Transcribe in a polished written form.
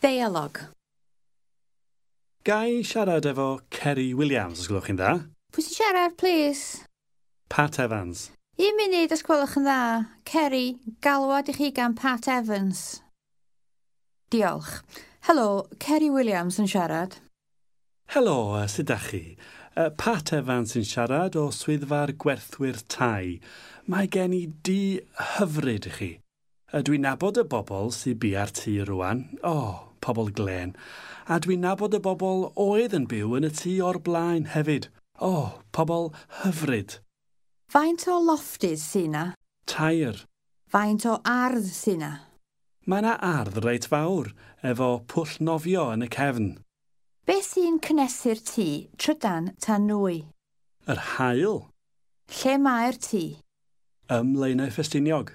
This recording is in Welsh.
Deialog. Ga i siarad efo Ceri Williams, os gwelwch chi'n dda? Pwy sy'n siarad, please? Pat Evans. Un munud, os gwelwch yn dda. Ceri, galwad i chi gan Pat Evans. Diolch. Helo, Ceri Williams yn siarad. Helo, sut dach chi? Pat Evans sy'n siarad o swyddfa'r gwerthwyr tai. Mae gen i dŷ hyfryd i chi. Dwi'n nabod y bobl sy'n bia'r tŷ rwan. O, pobl glên. A dwi'n nabod y bobl oedd yn byw yn y tŷ o'r blaen hefyd. O, pobl hyfryd. Faint o loftydd sy 'na? 3. Faint o ardd sy 'na? Mae 'na ardd reit fawr, efo pwll nofio yn y cefn. Beth sy'n cynnesu'r tŷ, trydan ta nwy? Yr haul. Lle mae'r tŷ? Ym Mlaenau Ffestiniog.